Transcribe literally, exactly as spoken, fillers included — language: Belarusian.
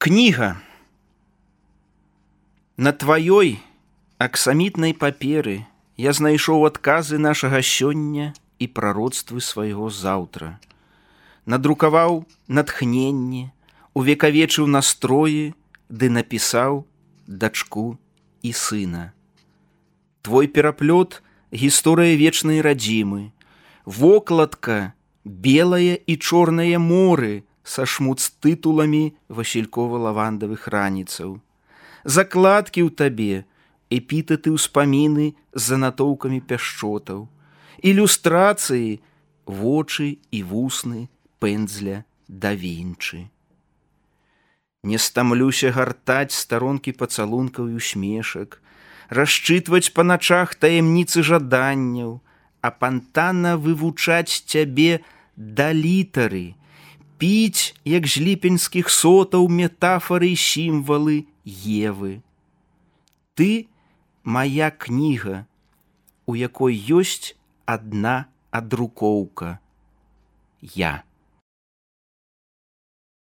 Кніга. На тваёй аксамітнай паперы я знайшоў адказы нашага сёння і прароцтвы свайго заўтра. Надрукаваў натхненне, увекавечыў настроі, ды напісаў дачку і сына. Твой пераплёт — гісторыя вечнай радзімы, вокладка — белае і чорнае моры са шмут з тытуламі васількова-лавандавых раніцаў. Закладкі ў табе, эпітэты ўспаміны з занатоўкамі пяшчотаў, ілюстрацыі, вочы і вусны пэндзля да Вінчы. Не стамлюся гартаць старонкі пацалункаў і усмешак, расчытваць па начах таямніцы жаданняў, апантана вывучаць цябе да літары, піць, як з ліпеньскіх сотаў, метафары і сімвалы Евы. Ты — мая кніга, у якой ёсць адна адрукоўка. Я.